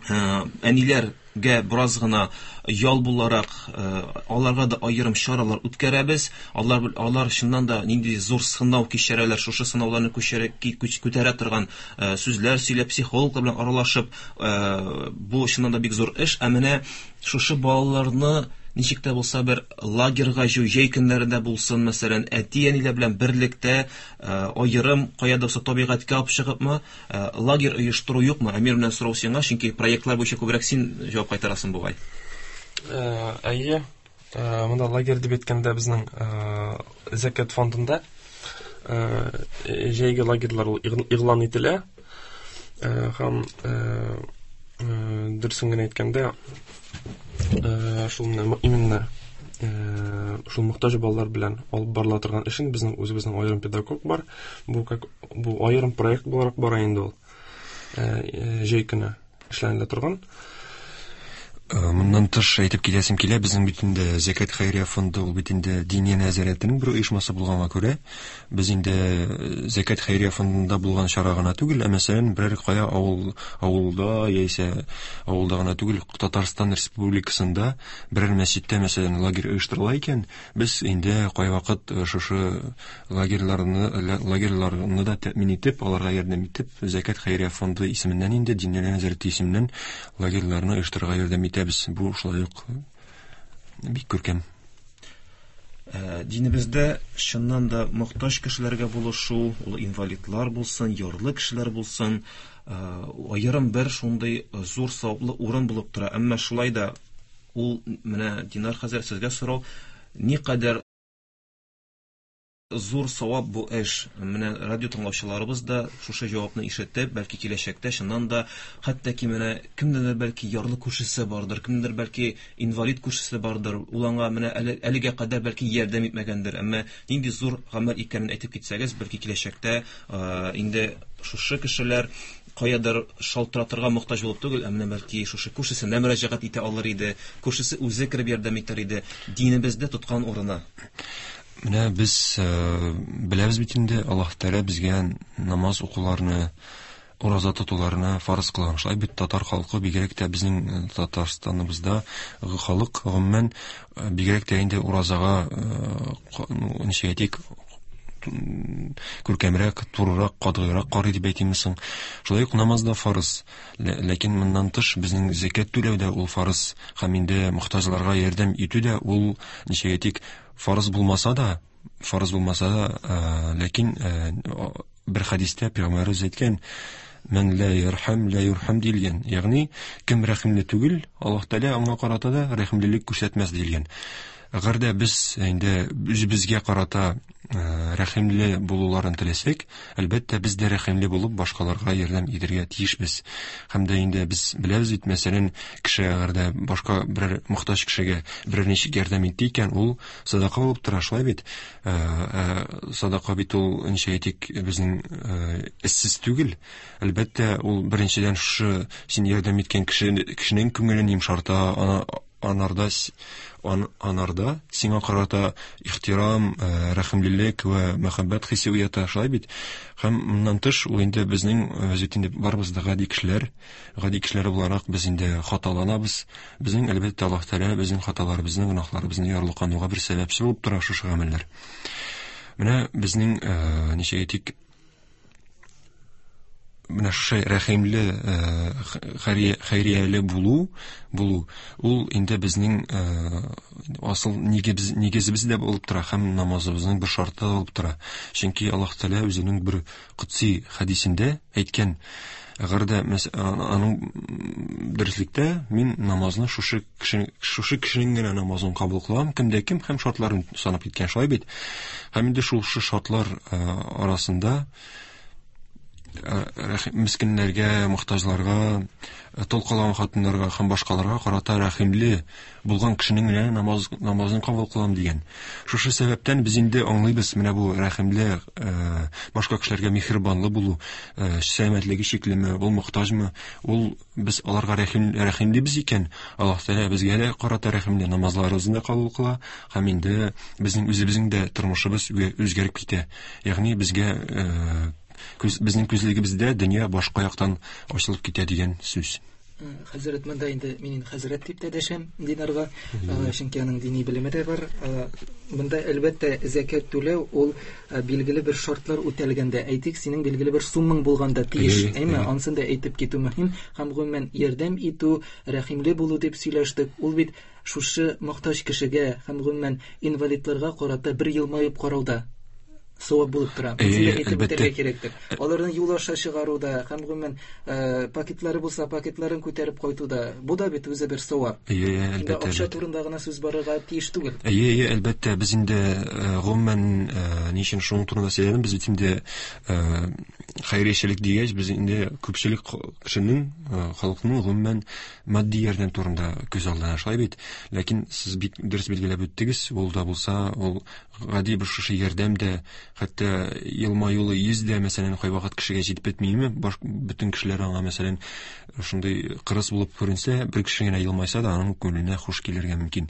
Әниләргә бераз гына ял буларак аларга да аерым чаралар үткәрәбез. Алар алар чыннан да нинди зур сынау кичерәләр, шушы сынауларны күчерә күтәрә торган сүзләр сөйләп, психологлар белән аралашып, бу чыннан да бик зур эш. Ә менә шушы балаларны ничек тә булса бер лагерьга җыю, җәй көннәрендә булсын, мәсәлән, әти-әниләр белән берлектә аерым кая да булса табигатькә алып чыгыпмы, лагерь оештыру юкмы? Әмир, белән сорау сиңа, чөнки проектлар буенча күбрәк син җавап кайтарасың бугай. Әйе, монда лагерь дип әйткәндә безнең Зәкят фондында җәйге лагерьлар ул игълан ителә. Һәм дөресен генә әйткәндә, шул именно шул мохтаҗ балалар белән алып барыла торган эшен безнең үзебезнең аерым педагог бар. Бу как бу аерым проект буларак бара инде ул. Җәй көне эшләнелә торган. Моннан тыш әйтеп китәсем килә, безнең бит инде Зәкят хәйрия фонды ул бит инде Диния нәзарәтенең бер оешмасы булганга күрә, без инде Зәкят хәйрия фондында булган чара гына түгел, ә мәсәлән, берәр кая авыл авылда яисә авылда гына түгел, Татарстан Республикасында берәр мәчеттә, мәсәлән, лагерь оештырыла икән, без инде кайвакыт шушы лагерьларны лагерьларны да тәэмин итеп, аларга ярдәм итеп, Зәкят хәйрия фонды исеменнән инде Диния нәзарәте исеменнән лагерьларны оештырырга ярдәм итә. Бу шулай ук бик күркәм. Динебездә чыннан да мохтаҗ кешеләргә булышу, ул инвалидлар булсын, ярлы кешеләр булсын, аерым бер шундый зур саваплы урын булып тора. Әмма шулай да ул менә Динар хәзрәт, сезгә сорау, никадәр зур савап бу эш? Менә радио тыңлаучыларыбыз да шушы җавапны ишетеп, бәлки киләчәктә чыннан да хәтта ки менә кемдер бәлки ярлы күршесе бардыр, кемдер бәлки инвалид күршесе бардыр, ул аңа менә әлегә кадәр бәлки ярдәм итмәгәндер, әмма нинди зур гамәл икәнен әйтеп китсәгез, бәлки киләчәктә инде шушы кешеләр каядыр шалтыратырга мохтаҗ булып түгел, ә менә бәлки шушы күршесенә мөрәҗәгать итә алыр иде, күршесе үзе кереп ярдәм итәр иде. Динебездә тоткан урыны. Менә без беләбез бит инде, Аллаһ Тәгалә безгә намаз укуларны, ураза тотуларны фарыз кылган. Шулай бит татар халкы, бигрәк тә безнең Татарстаныбызда халык гомумән бигрәк тә инде уразага ничек әйтик, күркәмрәк, турырак, катгыйрак карый дип әйтимме соң. Шулай ук намаз да фарыз. Ләкин моннан тыш безнең зәкят түләү дә ул фарыз, һәм инде мохтаҗларга ярдәм итү дә ул ничек әйтик, фарыз булмаса да, фарыз булмаса да, ләкин бер хәдистә пәйгамбәребез әйткән, "Мән ла ярхам ла юрхам" диелгән. Ягъни кем рәхимле түгел, Аллаһ Тәгалә аңа карата да рәхимлелек күрсәтмәс диелгән. Әгәр дә без инде үзебезгә карата рәхимле булуларын теләсәк, әлбәттә без дә рәхимле булып башкаларга ярдәм итәргә тиешбез. Һәм дә инде без беләбез бит, мәсәлән, кеше әгәр дә башка берәр мохтаҗ кешегә берәр ничек ярдәм итте икән, ул садака булып тора, шулай бит. Садака бит ул, ничек әйтик, безнең эшсез түгел. Әлбәттә, ул беренчедән шушы син ярдәм иткән кешенең күңелен йомшарта, ана анарда ан, анарда сиңа карата ихтирам, рәхимлелек вә мәхәббәт хисе уята, шулай бит. Һәм моннан тыш ул инде безнең, без бит инде барыбыз да гади кешеләр, гади кешеләр буларак без инде хаталанабыз. Безнең әлбәттә Аллаһ Тәгалә безнең хаталарыбызны, гөнаһларыбызны ярлыкануга бер сәбәпче булып тора шушы гамәлләр. Менә безнең, ничек әйтик, менә шушы рәхимле, хәйрияле булу, булу ул инде безнең асыл нигез, нигезебез дә булып тора һәм намазыбызның бер шарты да булып тора. Чөнки Аллаһ Тәгалә үзенең бер котси хәдисендә әйткән, әгәр дә аның дөреслектә мин намазны шушы кеше, шушы кешенең генә намазын кабул кылам, кемдә кем һәм шартларын санап киткән, шулай бит. Һәм инде шул шартлар арасында мескеннәргә, мохтаҗларга, тол калган хатыннарга һәм башкаларга карата рәхимле булган кешенең генә намаз, намазын кабул кылам дигән. Шушы сәбәптән без инде аңлыйбыз, менә бу рәхимле, башка кешеләргә миһербанлы булу, сәламәтлеге чиклеме, ул мохтаҗмы, ул без аларга рәхим, рәхимлебез икән, Аллаһ Тәгалә безгә дә карата рәхимле, намазларыбызны да кабул кыла һәм инде безнең үзебезнең дә тормышыбыз үзгәреп китә. Ягъни безгә Күз, безнең күзлегебездә дөнья башка яктан ачылып китә дигән сүз. Хәзрәт, монда инде мин хәзрәт дип тә дәшәм Динарга, чөнки аның дини белеме дә бар. Монда әлбәттә зәкят түләү ул билгеле бер шартлар үтәлгәндә, әйтик, синең билгеле бер суммаң булганда тиеш, әйме? Ансын да әйтеп китү мөһим. Һәм гомумән ярдәм итү, рәхимле булу дип сөйләштек. Ул бит шушы мохтаҗ кешегә һәм гомумән инвалидларга карата бер елмаеп карауда савап булып тора. Безгә әйтеп үтәргә кирәктер. Аларны юл аша чыгаруда һәм гомумән пакетлары булса пакетларын күтәреп кайтуда, бу да бит үзе бер савап. Әйе, әлбәттә. Акча турында гына сүз барырга тиеш түгел. Әйе, әйе, әлбәттә, без инде гомумән ни өчен шуның турында сөйләдем, без бит инде хәйриячелек дигәч, без инде күпчелек кешенең, халыкның гомумән матди ярдәм турында күз алдына, шулай бит. Ләкин сез бик дөрес билгеләп үттегез, ул да булса, ул Гади бер шушы ярдәм дә, хәтта елмаюлы йөз дә, мәсәлән, кайвакыт кешегә җитеп бетмиме? Баш бөтен кешеләр аңа, мәсәлән, шундый кырыс булып күренсә, бер кеше генә елмайса да, аның күңеленә хуш килергә мөмкин.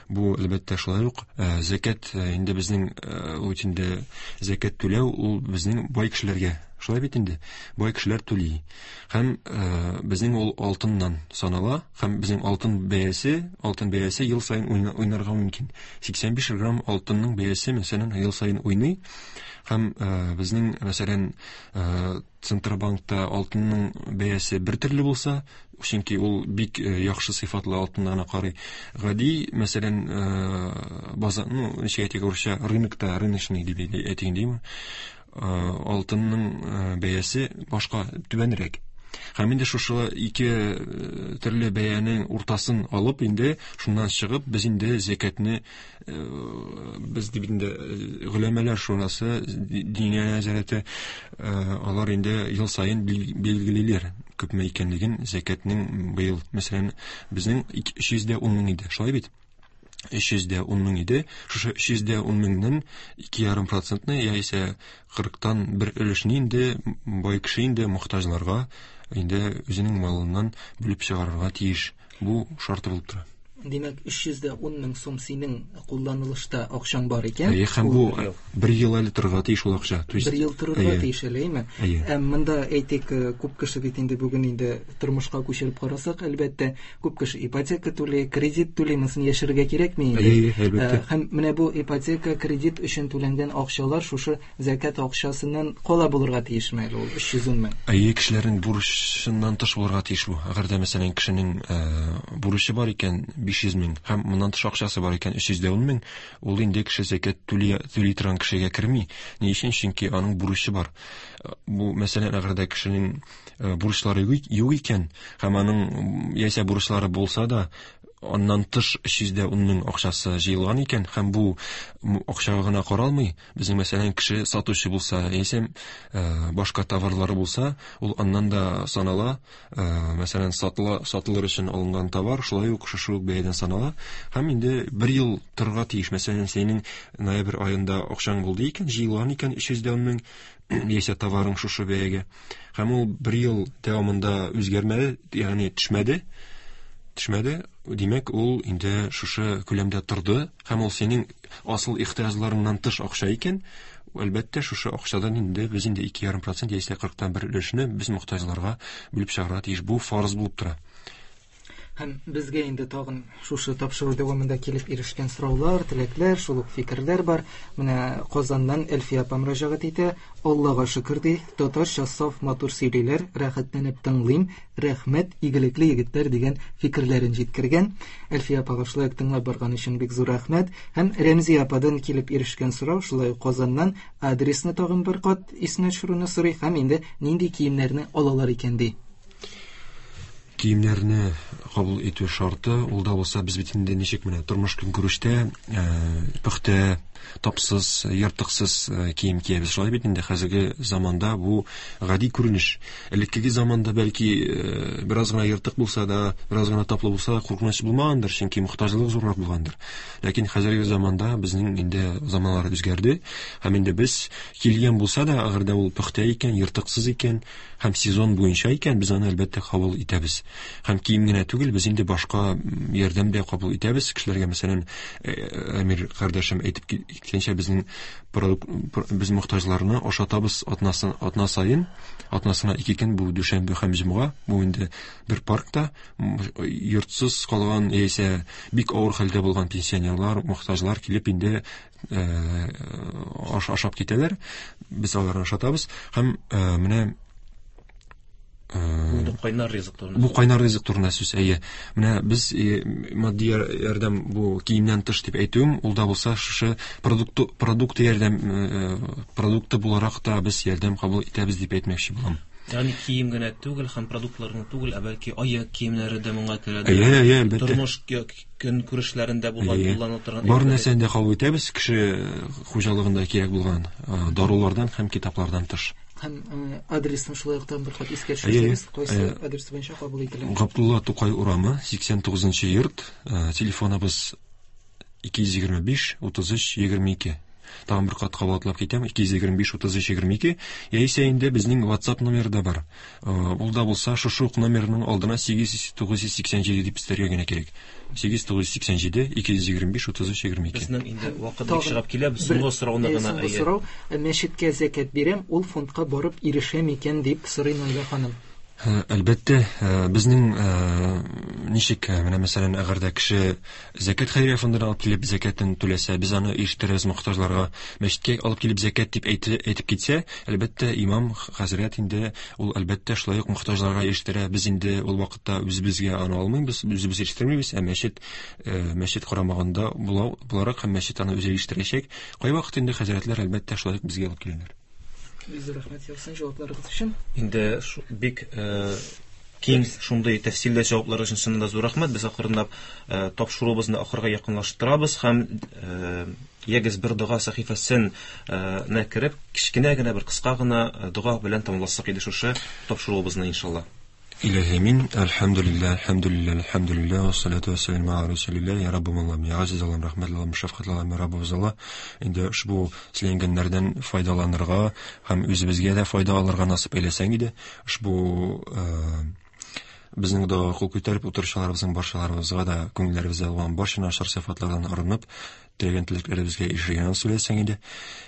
Бу, әлбәттә, шулай ук зәкят инде безнең ул инде зәкят түләү ул безнең бай кешеләргә. Шулай бит инде, бай кешеләр түли. Һәм безнең ул алтыннан санала, һәм безнең алтын бәясе, алтын бәясе ел саен уйнарга мөмкин. сиксән биш грамм алтынның бәясе, мәсәлән, ел саен уйный. Һәм безнең, мәсәлән, Центробанкта алтынның бәясе бер төрле булса, чөнки ул бик яхшы сыйфатлы алтыннарына карый. Гади, мәсәлән, базар, ну, ничек әйтик, урысча, рынокта, рыночный дип әйтик димме? Алтынның бәясе башка түбәнрәк. Һәм инде шушы ике төрле бәянең уртасын алып, инде шуннан чыгып, без инде зәкятне, без дип инде голәмәләр шурасы, диния нәзарәте, алар инде ел саен билгелиләр күпме икәнлеген зәкятнең. Быел, мәсәлән, безнең өч йөз дә ун мең иде, шулай бит? өч йөз дә ун мең иде. Шушы өч йөз дә ун меңнән ике ярым процентны, яисә кырыктан бер өлешне инде бай кеше инде мохтаҗларга инде үзенең малыннан бүлеп чыгарырга тиеш. Бу шарты булып тора. Димәк, өч йөз дә ун мең сум синең кулланылышта акчаң бар икән. Әйе, һәм бу бер ел әле торырга тиеш ул акча. Бер ел торырга тиеш әле, әйеме? Ә монда әйтик, күп кеше бит инде бүген инде тормышка күчереп карасак, әлбәттә, күп кеше ипотека түли, кредит түли, монысын яшерергә кирәкми инде. Әйе, әлбәттә. Һәм менә бу ипотека, кредит өчен түләнгән акчалар шушы зәкят акчасыннан кала булырга тиешме әле ул өч йөз ун мең? Әйе, кешеләрнең бурычыннан тыш булырга тиеш бу. Әгәр дә, мәсәлән, кешенең бурычы бар икән, биш йөз мең, һәм моннан тыш акчасы бар икән өч йөз дә ун мең, ул инде кеше зәкят түли, түли торган кешегә керми. Ни өчен? Чөнки аның бурычы бар. Бу, мәсәлән, әгәр дә кешенең бурычлары юк икән, һәм аның яисә бурычлары булса да, аннан тыш өч йөз дә ун мең акчасы җыелган икән, һәм бу акчага гына каралмый. Безнең, мәсәлән, кеше сатучы булса, яисә башка товарлары булса, ул аннан да санала. Мәсәлән, сатыла, сатылыр өчен алынган товар шулай ук шушы ук бәядән санала. Һәм инде бер ел торырга тиеш. Мәсәлән, синең ноябрь аенда акчаң булды икән, җыелган икән өч йөз дә ун мең, яисә товарың шушы бәягә. Һәм ул бер ел дәвамында үзгәрмәде, ягъни төшмәде. Төшмәде, димәк, ул инде шушы күләмдә торды, һәм ул синең асыл ихтыяҗларыңнан тыш акча икән, әлбәттә, шушы акчадан инде без инде ике ярым процент яисә кырыктан бер өлешне без мохтаҗларга бүлеп чыгарырга тиеш. Бу фарыз булып тора. Һәм безгә инде тагын шушы тапшыру дәвамында килеп ирешкән сораулар, теләкләр, шул ук фикерләр бар. Менә Казаннан Әлфия апа мөрәҗәгать итә. Аллага шөкер ди, татарча саф матур сөйлиләр, рәхәтләнеп тыңлыйм, рәхмәт, игелекле егетләр дигән фикерләрен җиткергән. Әлфия апага шулай ук тыңлап барган өчен бик зур рәхмәт. Һәм Рәмзия ападан килеп ирешкән сорау шулай ук Казаннан, адресны тагын бер кат исенә төшерүне сорый һәм инде нинди киемнәрне алалар икән ди. Киемнәрне кабул итү шарты, ул да булса, без бит инде ничек менә тормыш көнкүрештә пөхтә, тапсыз, ертыксыз кием киябез. Шулай бит инде хәзерге заманда бу гади күренеш. Элеккеге заманда бәлки бераз гына ертык булса да, бераз гына таплы булса да куркыныч булмагандыр, чөнки мохтаҗлык зуррак булгандыр. Ләкин хәзерге заманда безнең инде заманалар үзгәрде, һәм инде без килгән булса да, әгәр дә ул пөхтә икән, ертыксыз икән һәм сезон буенча икән, без аны әлбәттә кабул итәбез. Һәм кием генә түгел, без инде башка ярдәм дә кабул итәбез. Кешеләргә, мәсәлән, Әмир кардәшем әйтеп киткәнчә, безнең продукт, без мохтаҗларны ашатабыз атнасын, атна саен, атнасына ике көн, бу дүшәмбе һәм җомга, бу инде бер паркта йортсыз калган яисә бик авыр хәлдә булган пенсионерлар, мохтаҗлар килеп инде аш ашап китәләр. Без аларны ашатабыз. Һәм менә Бу кайнар ризык турында. Бу кайнар ризык турында сүз, әйе. Менә без матди ярдәм бу киемнән тыш дип әйтүем, ул да булса шушы продукты, продукты ярдәм, продукты буларак та без ярдәм кабул итәбез дип әйтмәкче булам. Ягъни кием генә түгел һәм продуктлар гына түгел, ә бәлки аяк киемнәре дә моңа керә. Әйе, әйе, әлбәттә. Тормыш көнкүрешләрендә булган кулланыла торган бар нәрсәне дә кабул итәбез, кеше хуҗалыгында кирәк булган дарулардан һәм китаплардан тыш. Һәм адресны шулай ук бер кат искә төшерсәгез, кайсы адрес буенча кабул ителә? Габдулла Тукай урамы, сиксән тугызынчы йорт, телефоныбыз ике йөз егерме биш, утыз өч, егерме ике. Тагын бер кат кабатлап китәм, ике йөз егерме биш утыз өч егерме ике. Яисә инде безнең WhatsApp номеры да бар. Ул да булса шушы ук номерның алдына сигез йөз тугыз йөз сиксән җиде дип өстәргә генә кирәк. Сигез тугыз йөз сиксән җиде ике йөз егерме биш утыз өч егерме ике. Безнең инде вакыт бик чыгып килә, без соңгы сорауны гына Соңгы сорау, мәчеткә зәкят бирәм, ул фондка барып ирешә микән дип сорый Наилә ханым. Әлбәттә, безнең ничек, менә мәсәлән, әгәр дә кеше зәкят хәйрия фондына алып килеп зәкятен түләсә, без аны ирештерәбез мохтаҗларга. Мәчеткә алып килеп зәкят дип әйтеп китсә, әлбәттә, имам хәзрәт инде ул әлбәттә шулай ук мохтаҗларга ирештерә. Без инде ул вакытта үзебезгә аны алмыйбыз, үзебез ирештермибез, ә мәчет мәчет карамагында буларак һәм мәчет аны үзе ирештерәчәк. Кайвакыт инде хәзрәтләр әлбәттә шулай ук безгә алып киләләр. Бик зур рәхмәт яусын җавапларыгыз өчен. Инде бик киң шундый тәфсилле җаваплар өчен чыннан да зур рәхмәт. Без акрынлап тапшыруыбызны ахырга якынлаштырабыз һәм ягез бер дога сәхифәсен нә кереп, кечкенә генә бер кыска гына дога белән тәмамласак иде шушы тапшыруыбызны иншалла. İlahi amin. Elhamdülillah, elhamdülillah, elhamdülillah. Ve salatu ve selamu ala Resulillah. Ya Rabbim Allah'ım, ya Aziz Allah'ım, rahmetli Allah'ım, şefkatli Allah'ım, ya Rabbimiz Allah. Инде ушбу сөйләнгәннәрдән файдаланырга һәм үзебезгә дә файда алырга насып әйләсәң иде. Ушбу безнең дога кул күтәреп утыручыларыбызның барчаларыбызга да күңелләребездә булган барча начар сыйфатлардан арынып, теләгән теләкләребезгә ирешергә насыйп әйләсәң иде.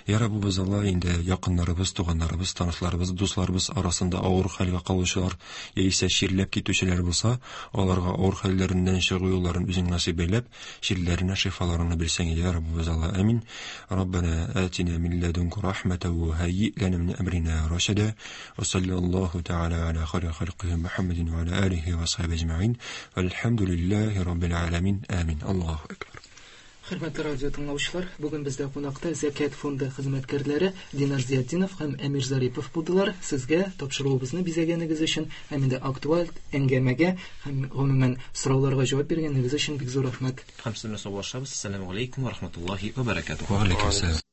Я Раббыбыз Алла, инде якыннарыбыз, туганнарыбыз, танышларыбыз, дусларыбыз арасында авыр хәлгә калучылар яисә чирләп китүчеләр булса, аларга авыр хәлләреннән чыгу юлларын үзең насыйп әйләп, чирләренә шифаларыңны бирсәң иде, я Раббыбыз Алла. Амин. Раббана атина мин ладунка рахматан ва һайyi лана мин амрина рашада. Ва саллаллаху тааля аля хайри халқихи Мухаммадин ва аля алихи ва сахбихи аджмаин. Вальхамдулиллахи раббил аламин. Амин. Аллаху акбар. Хөрмәтле радио тыңлаучылар, бүген бездә кунакта Зәкят фонды хезмәткәрләре Динар Зиятдинов һәм Әмир Зарипов булдылар. Сезгә тапшыруыбызны бизәгәнегез өчен һәм инде актуаль әңгәмәгә һәм гомумән сорауларга җавап биргәнегез өчен бик зур рәхмәт. Һәм сезне саубуллашабыз. Ассаламу алейкум ва рахматуллахи ва баракатуһ. Ва алейкум ассалам.